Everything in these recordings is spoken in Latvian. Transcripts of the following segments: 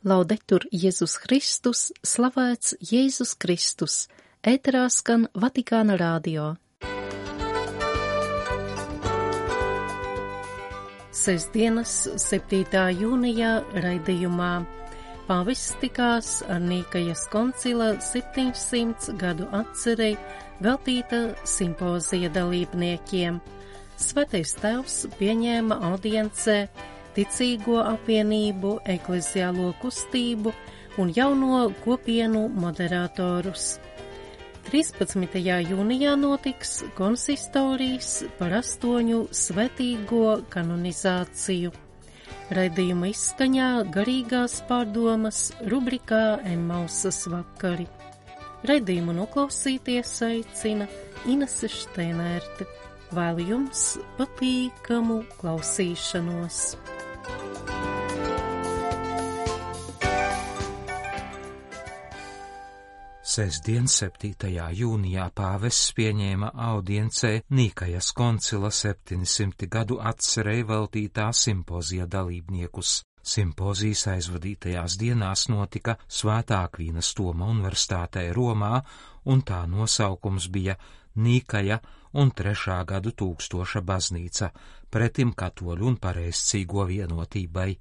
Laudetur Jēzus Kristus, slavēts Jēzus Kristus, ēterā skan Vatikāna radio. Sestdienas 7. jūnijā raidījumā pāvests tikās ar Nīkajas koncila 700 gadu atcerei veltīta simpozija dalībniekiem. Svētais Tēvs pieņēma audiencē ticīgo apvienību, ekleziālo kustību un jauno kopienu moderatorus. 13. jūnijā notiks konsistorijas par 8 svētīgo kanonizāciju. Raidījuma izskaņā garīgās pārdomas rubrikā Emmausas vakari. Raidījumu noklausīties aicina Inese Šteinērte. Vēlu jums patīkamu klausīšanos. Sestdien, 7. jūnijā pāvests pieņēma audiencē Nīkajas koncila 700 gadu atcerei veltītā simpozija dalībniekus. Simpozijas aizvadītajās dienās notika Svētā Akvīnas Toma universitātē Romā, un tā nosaukums bija Nīkaja un 3. gadu tūkstoša baznīca pretim katoļu un pareizcīgo vienotībai.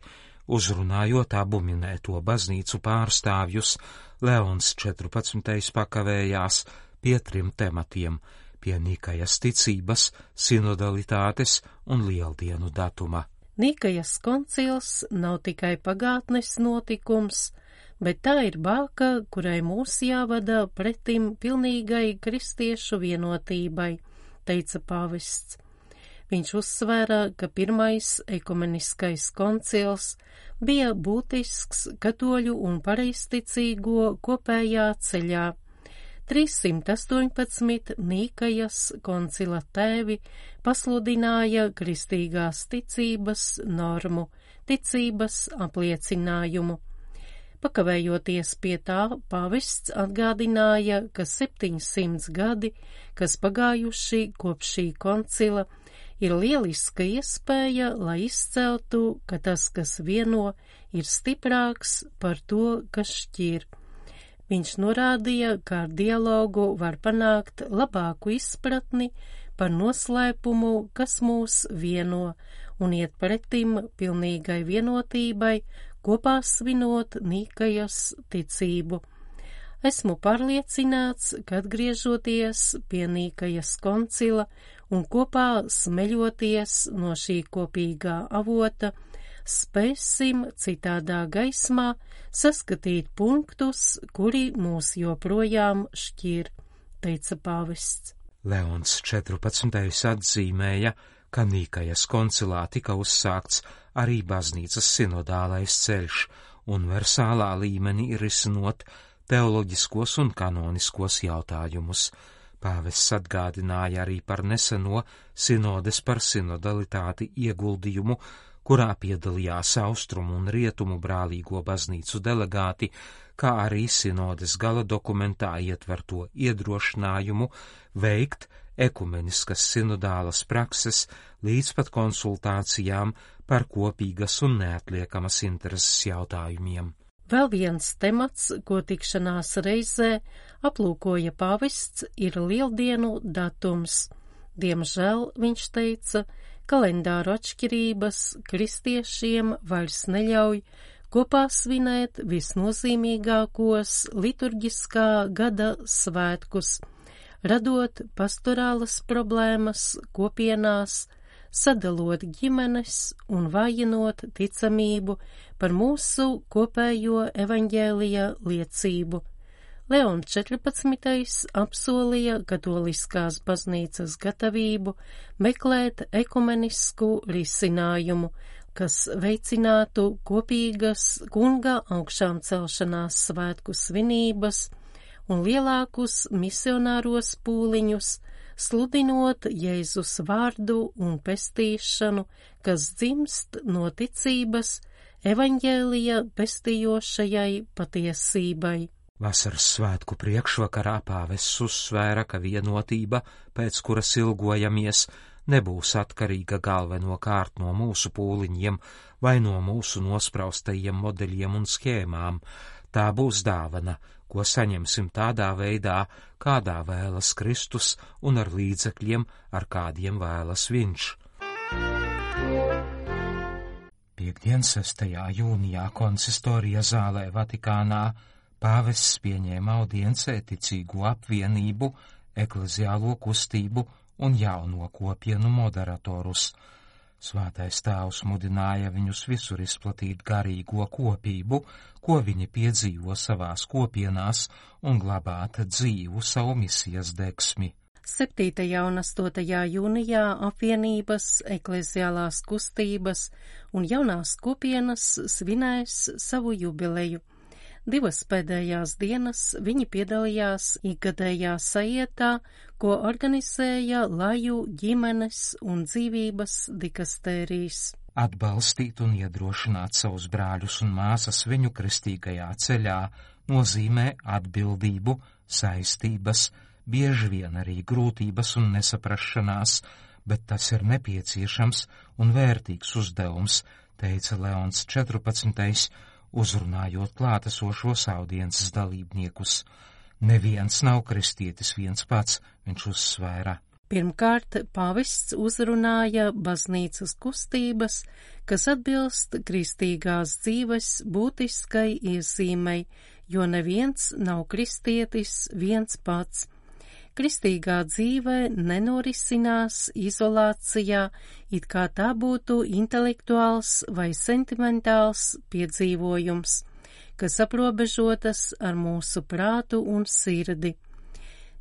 Uzrunājot abu minēto baznīcu pārstāvjus, Leons 14. pakavējās pie 3 tematiem – pie Nīkajas ticības, sinodalitātes un lieldienu datuma. Nīkajas koncils nav tikai pagātnes notikums, bet tā ir bāka, kurai mūs jāvada pretim pilnīgai kristiešu vienotībai, teica pāvests. Viņš uzsvēra, ka pirmais ekumeniskais koncils bija būtisks katoļu un pareizticīgo kopējā ceļā. 318 Nīkajas koncila tēvi pasludināja kristīgās ticības normu, ticības apliecinājumu. Pakavējoties pie tā, pāvests atgādināja, ka 700 gadi, kas pagājuši kopš šī koncila, ir lieliska iespēja, lai izceltu, ka tas, kas vieno, ir stiprāks par to, kas šķir. Viņš norādīja, ka ar dialogu var panākt labāku izpratni par noslēpumu, kas mūs vieno, un iet pretim pilnīgai vienotībai, kopā svinot Nīkajas ticību. Esmu pārliecināts, ka atgriežoties pie Nīkajas koncila un kopā smeļoties no šī kopīgā avota, spēsim citādā gaismā saskatīt punktus, kuri mūs joprojām šķir, teica pāvests. Leons 14. atzīmēja, ka Nīkajas koncilā tika uzsākts arī baznīcas sinodālais ceļš, universālā līmenī risinot teoloģiskos un kanoniskos jautājumus. Pāvests atgādināja arī par neseno sinodes par sinodalitāti ieguldījumu, kurā piedalījās austrumu un rietumu brālīgo baznīcu delegāti, kā arī sinodes gala dokumentā ietverto iedrošinājumu veikt ekumeniskas sinodālas prakses līdz pat konsultācijām par kopīgas un neatliekamas intereses jautājumiem. Vēl viens temats, ko tikšanās reizē aplūkoja pāvests, ir lieldienu datums. Diemžēl, viņš teica, kalendāru atšķirības kristiešiem vairs neļauj kopā svinēt visnozīmīgākos liturģiskā gada svētkus, radot pastorālas problēmas kopienās, sadalot ģimenes un vājinot ticamību par mūsu kopējo evaņģēlija liecību. Leons 14. apsolīja katoliskās baznīcas gatavību meklēt ekumenisku risinājumu, kas veicinātu kopīgas kunga augšām celšanās svētku svinības un lielākus misionāros pūliņus, sludinot Jēzus vārdu un pestīšanu, kas dzimst no ticības evaņģēlija pestījošajai patiesībai. Vasaras svētku priekšvakarā pāvests uzsvēra, ka vienotība, pēc kuras ilgojamies, nebūs atkarīga galvenokārt no mūsu pūliņiem vai no mūsu nospraustajiem modeļiem un schēmām. Tā būs dāvana, ko saņemsim tādā veidā, kādā vēlas Kristus un ar līdzekļiem, ar kādiem vēlas Viņš. Piektdien, 6. jūnijā konsistorija zālē Vatikānā pāvests pieņēma audiencē ticīgo apvienību, ekleziālo kustību un jauno kopienu moderatorus. Svētais Tēvs mudināja viņus visur izplatīt garīgo kopību, ko viņi piedzīvo savās kopienās, un glabāt dzīvu savu misijas degsmi. 7. un 8. jūnijā apvienības, ekleziālās kustības un jaunās kopienas svinēs savu jubileju. 2 pēdējās dienas viņi piedalījās ikgadējā sajietā, ko organizēja Laju ģimenes un dzīvības dikastērijas. Atbalstīt un iedrošināt savus brāļus un māsas viņu kristīgajā ceļā nozīmē atbildību, saistības, bieži vien arī grūtības un nesaprašanās, bet tas ir nepieciešams un vērtīgs uzdevums, teica Leons 14. uzrunājot klātesošos audiences dalībniekus. Neviens nav kristietis viens pats, viņš uzsvēra. Pirmkārt, pāvests uzrunāja baznīcas kustības, kas atbilst kristīgās dzīves būtiskai iezīmei, jo neviens nav kristietis viens pats. Kristīgā dzīve nenorisinās izolācijā, it kā tā būtu intelektuāls vai sentimentāls piedzīvojums, kas aprobežotas ar mūsu prātu un sirdi.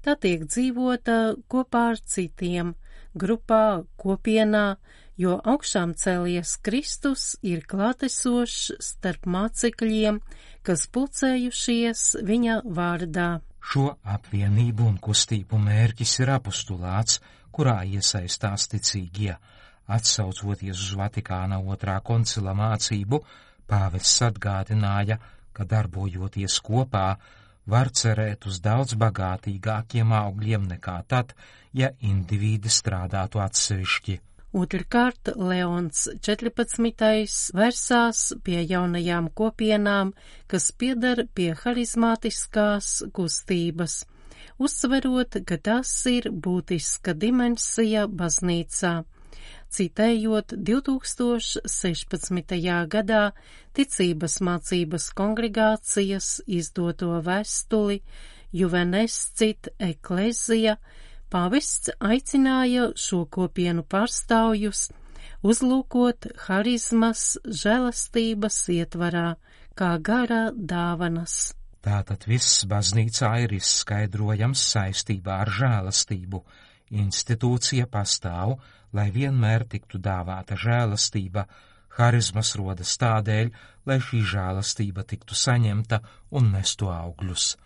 Tā tiek dzīvota kopā ar citiem, grupā, kopienā, jo augšām cēlies Kristus ir klātesošs starp mācekļiem, kas pulcējušies viņa vārdā. Šo apvienību un kustību mērķis ir apostulāts, kurā iesaistās ticīgie. Atsaucoties uz Vatikāna 2. koncila mācību, pāvests atgādināja, ka darbojoties kopā, var cerēt uz daudz bagātīgākiem augļiem nekā tad, ja indivīdi strādātu atsevišķi. Otrkārt, Leons 14. versās pie jaunajām kopienām, kas pieder pie harizmātiskās kustības, uzsverot, ka tas ir būtiska dimensija baznīcā. Citējot 2016. gadā ticības mācības kongregācijas izdoto vēstuli Juvenescit Ecclesia, pāvests aicināja šo kopienu pārstāvjus uzlūkot harizmas žēlastības ietvarā, kā gara dāvanas. Tātad viss baznīcā ir izskaidrojams saistībā ar žēlastību. Institūcija pastāv, lai vienmēr tiktu dāvāta žēlastība. Harizmas rodas tādēļ, lai šī žēlastība tiktu saņemta un nestu augļus.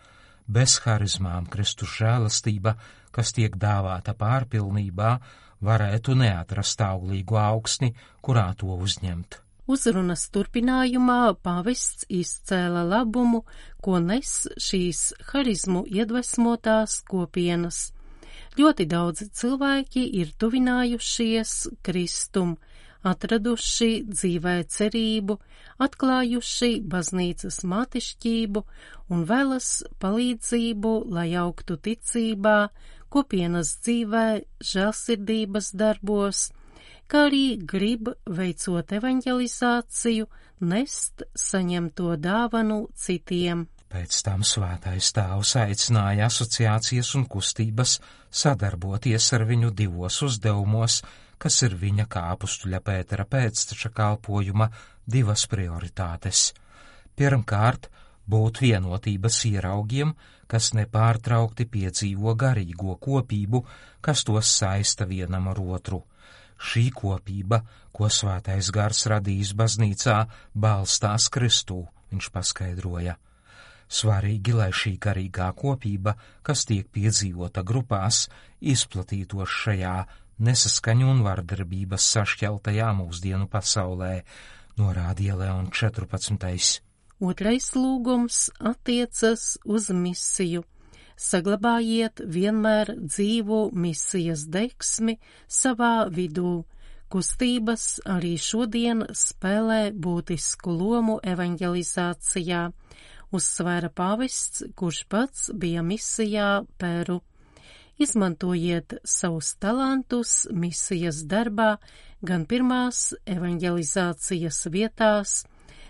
Bez harizmām Kristus žēlastība, kas tiek dāvāta pārpilnībā, varētu neatrast auglīgu augsni, kurā to uzņemt. Uzrunas turpinājumā pāvests izcēla labumu, ko nes šīs harizmu iedvesmotās kopienas. Ļoti daudzi cilvēki ir tuvinājušies Kristum, atraduši dzīvē cerību, atklājuši baznīcas mātišķību un vēlas palīdzību, lai augtu ticībā, kopienas dzīvē, žēlsirdības darbos, kā arī grib, veicot evanģelizāciju, nest saņemto dāvanu citiem. Pēc tam Svētais Tēvs aicināja asociācijas un kustības sadarboties ar viņu 2 uzdevumos, kas ir viņa kā apustuļa Pētera pēcteča kalpojuma 2 prioritātes. Pirmkārt, būt vienotības ieraugiem, kas nepārtraukti piedzīvo garīgo kopību, kas tos saista vienam ar otru. Šī kopība, ko Svētais Gars radījis baznīcā, balstās Kristū, viņš paskaidroja. Svarīgi, lai šī garīgā kopība, kas tiek piedzīvota grupās, izplatītos šajā nesaskaņu un vardarbības sašķeltajā mūsdienu pasaulē, norādīja Leons 14. Otrais lūgums attiecas uz misiju. Saglabājiet vienmēr dzīvo misijas degsmi savā vidū. Kustības arī šodien spēlē būtisku lomu evanģelizācijā, uzsvēra pāvests, kurš pats bija misijā Peru. Izmantojiet savus talantus misijas darbā gan pirmās evanģelizācijas vietās,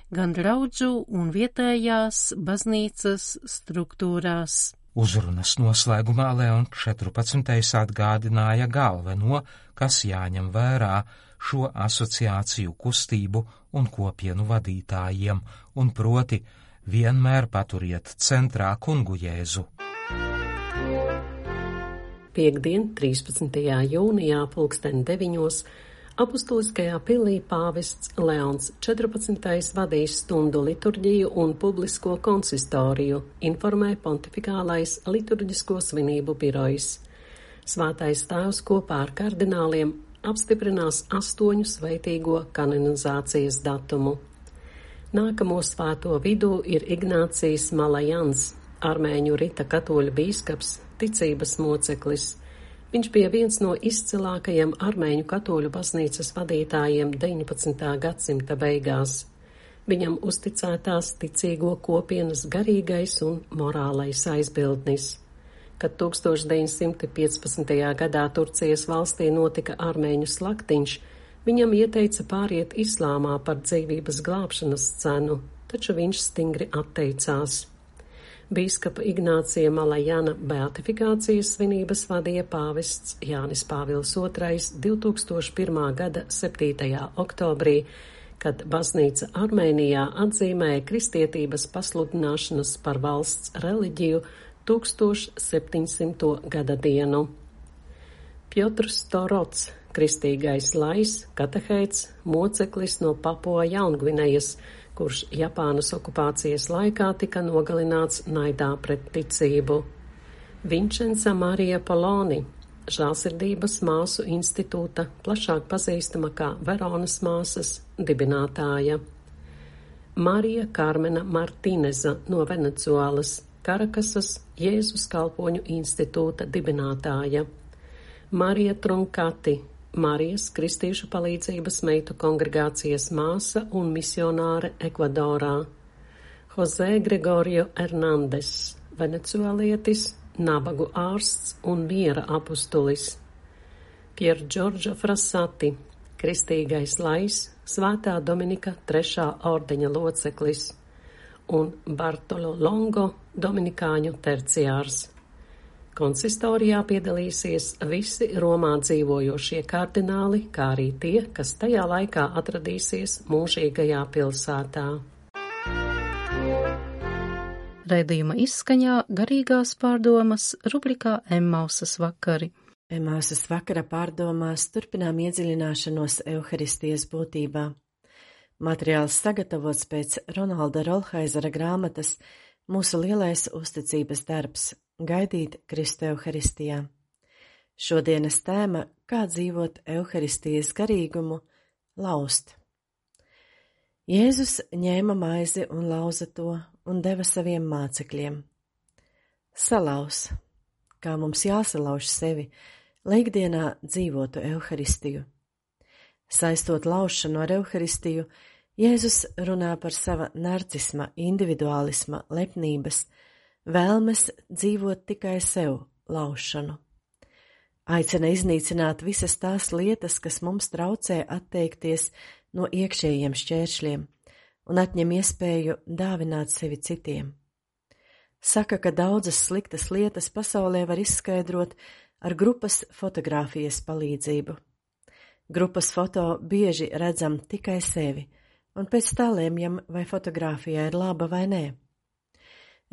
gan draudžu un vietējās baznīcas struktūrās. Uzrunas noslēgumā Leons 14. atgādināja galveno, kas jāņem vērā šo asociāciju kustību un kopienu vadītājiem, un proti vienmēr paturiet centrā kungu Jēzu. Piektdien, 13. jūnijā, 9:00 Apustuliskajā pilī pāvests Leons 14. vadīs stundu liturģiju un publisko konsistoriju, informē pontifikālais liturģisko svinību birojs. Svētais tēvs kopā ar kardināliem apstiprinās 8 svētīgo kanonizācijas datumu. Nākamo svēto vidū ir Ignācijs Malajans, armēņu rita katoļu bīskaps, ticības moceklis. Viņš bija viens no izcilākajiem armēņu katoļu baznīcas vadītājiem 19. gadsimta beigās. Viņam uzticētās ticīgo kopienas garīgais un morālais aizbildnis. Kad 1915. gadā Turcijas valstī notika armēņu slaktiņš, viņam ieteica pāriet islāmā par dzīvības glābšanas cenu, taču viņš stingri atteicās. Bīskapa Ignācija Malajana beatifikācijas svinības vadīja pāvests Jānis Pāvils II 2001. gada 7. oktobrī, kad baznīca Armēnijā atzīmēja kristietības pasludināšanas par valsts reliģiju 1700. gada dienu. Pjotrs Torots, kristīgais lais, katehēts, moceklis no Papua Jaungvinejas, kurš Japānas okupācijas laikā tika nogalināts naidā pret ticību. Vincenza Marija Poloni, Žēlsirdības māsu institūta, plašāk pazīstama kā Veronas māsas, dibinātāja. Marija Karmena Martīneza no Venecuēlas, Karakasas Jēzus kalpoņu institūta dibinātāja. Marija Trunkati, Marijas Kristīšu palīdzības meitu kongregācijas māsa un misionāre Ekvadorā. Jose Gregorio Hernandez, venecuēlietis, nabagu ārsts un miera apustulis. Pier Giorgio Frassati, kristīgais lais, Svētā Dominika 3. ordeņa loceklis, un Bartolo Longo, dominikāņu terciārs. Konsistorijā piedalīsies visi Romā dzīvojošie kardināli, kā arī tie, kas tajā laikā atradīsies mūžīgajā pilsētā. Raidījuma izskaņā garīgās pārdomas rubrikā Emmausas vakari. Emmausas vakara pārdomās turpinām iedziļināšanos Euharistijas būtībā. Materiāls sagatavots pēc Ronalda Rolhaizera grāmatas Mūsu lielais uzticības darbs – gaidīt Kristu Euharistijā. Šodienas tēma – kā dzīvot Euharistijas garīgumu – laust. Jēzus ņēma maizi un lauza to un deva saviem mācekļiem. Salauz, kā mums jāsalauž sevi, lai ikdienā dzīvotu Euharistiju. Saistot laušanu ar Euharistiju, Jēzus runā par sava narcisma, individuālisma, lepnības, vēlmes dzīvot tikai sev laušanu. Aicina iznīcināt visas tās lietas, kas mums traucē atteikties no iekšējiem šķēršļiem un atņem iespēju dāvināt sevi citiem. Saka, ka daudzas sliktas lietas pasaulē var izskaidrot ar grupas fotogrāfijas palīdzību. Grupas foto bieži redzam tikai sevi, un pēc tā lemjam, vai fotogrāfijā ir laba vai nē.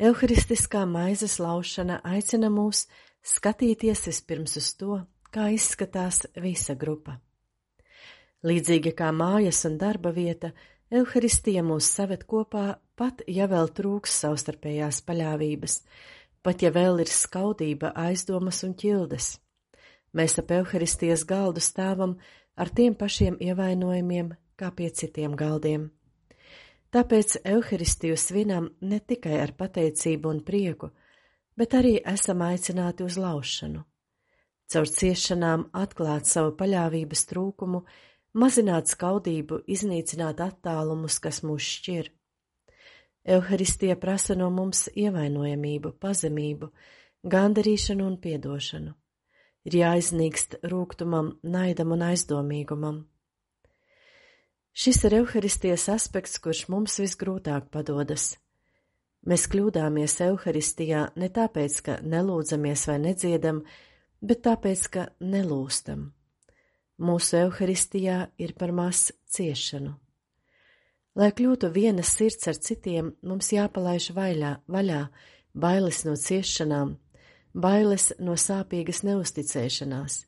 Euharistiskā maizes laušana aicina mūs skatīties vispirms uz to, kā izskatās visa grupa. Līdzīgi kā mājas un darba vieta, Euharistija mūs saved kopā, pat ja vēl trūks savstarpējās paļāvības, pat ja vēl ir skaudība, aizdomas un ķildes. Mēs ap Euharistijas galdu stāvam ar tiem pašiem ievainojumiem, kā pie citiem galdiem. Tāpēc Euharistiju svinam ne tikai ar pateicību un prieku, bet arī esam aicināti uz laušanu. Caur ciešanām atklāt savu paļāvības trūkumu, mazināt skaudību, iznīcināt attālumus, kas mūs šķir. Euharistija prasa no mums ievainojamību, pazemību, gandarīšanu un piedošanu. Ir jāiznīkst rūgtumam, naidam un aizdomīgumam. Šis ir Euharistijas aspekts, kurš mums visgrūtāk padodas. Mēs kļūdāmies Euharistijā ne tāpēc, ka nelūdzamies vai nedziedam, bet tāpēc, ka nelūstam. Mūsu Euharistijā ir par maz ciešanu. Lai kļūtu viena sirds ar citiem, mums jāpalaiž vaļā bailes no ciešanām, bailes no sāpīgas neusticēšanās,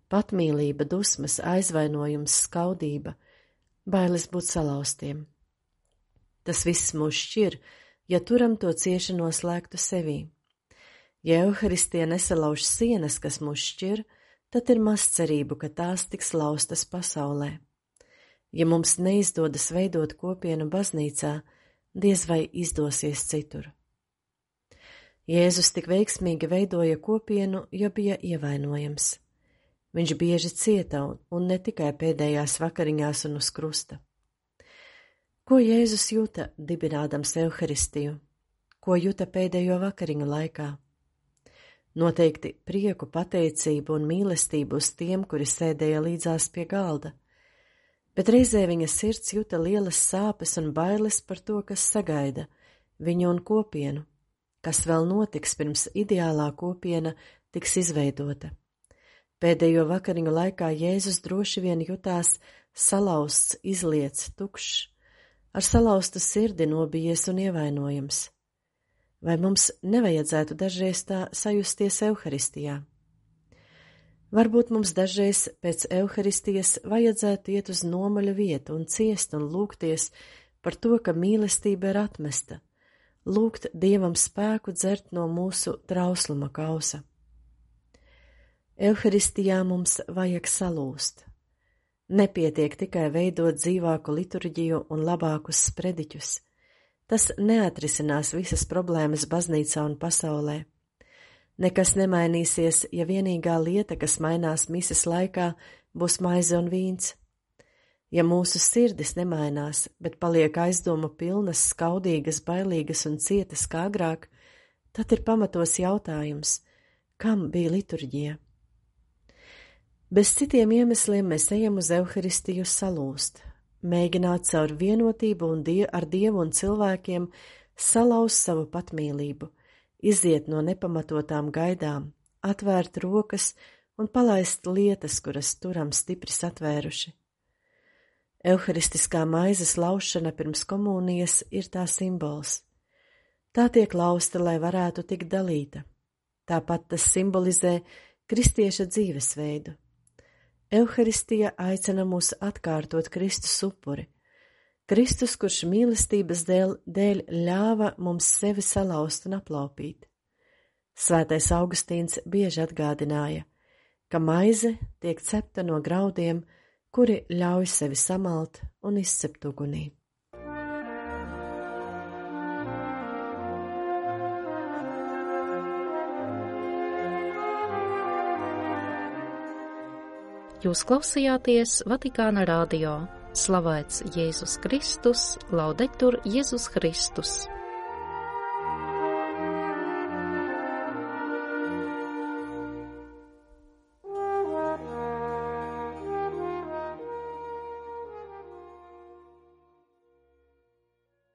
patmīlība, dusmas, aizvainojums, skaudība, bailes būt salauztiem. Tas viss mūs šķir, ja turam to cieši noslēgtu sevī. Ja Euharistija nesalauž sienas, kas mūs šķir, tad ir maz cerību, ka tās tiks laustas pasaulē. Ja mums neizdodas veidot kopienu baznīcā, diez vai izdosies citur. Jēzus tik veiksmīgi veidoja kopienu, jo bija ievainojams. Viņš bieži cieta un ne tikai pēdējās vakariņās un uz krusta. Ko Jēzus jūta, dibinādams Euharistiju? Ko jūta pēdējo vakariņu laikā? Noteikti prieku, pateicību un mīlestību uz tiem, kuri sēdēja līdzās pie galda, bet reizē viņa sirds jūta lielas sāpes un bailes par to, kas sagaida viņu un kopienu, kas vēl notiks pirms ideālā kopiena tiks izveidota. Pēdējo vakariņu laikā Jēzus droši vien jutās salauzts, izliets, tukšs, ar salauztu sirdi nobijies un ievainojams. Vai mums nevajadzētu dažreiz tā sajusties Euharistijā? Varbūt mums dažreiz pēc Euharistijas vajadzētu iet uz nomaļu vietu un ciest un lūgties par to, ka mīlestība ir atmesta, lūgt Dievam spēku dzert no mūsu trausluma kausa. Euharistijā mums vajag salūst. Nepietiek tikai veidot dzīvāku liturģiju un labākus sprediķus. Tas neatrisinās visas problēmas baznīcā un pasaulē. Nekas nemainīsies, ja vienīgā lieta, kas mainās mises laikā, būs maize un vīns. Ja mūsu sirdis nemainās, bet paliek aizdomu pilnas, skaudīgas, bailīgas un cietas kā agrāk, tad ir pamatos jautājums, kam bija liturģija? Bez citiem iemesliem mēs ejam uz Euharistiju salūst, mēģināt caur vienotību un ar Dievu un cilvēkiem salauzt savu patmīlību, iziet no nepamatotām gaidām, atvērt rokas un palaist lietas, kuras turam stipri satvēruši. Euharistiskā maizes laušana pirms komunijas ir tā simbols. Tā tiek lausta, lai varētu tikt dalīta. Tāpat tas simbolizē kristieša dzīvesveidu. Euharistija aicina mūs atkārtot Kristus upuri. Kristus, kurš mīlestības dēļ ļāva mums sevi salauzt un aplaupīt. Svētais Augustīns bieži atgādināja, ka maize tiek cepta no graudiem, kuri ļauj sevi samalt un izcept ugunī. Jūs klausījāties Vatikāna radio. Slavēts Jēzus Kristus, laudetur Jēzus Kristus.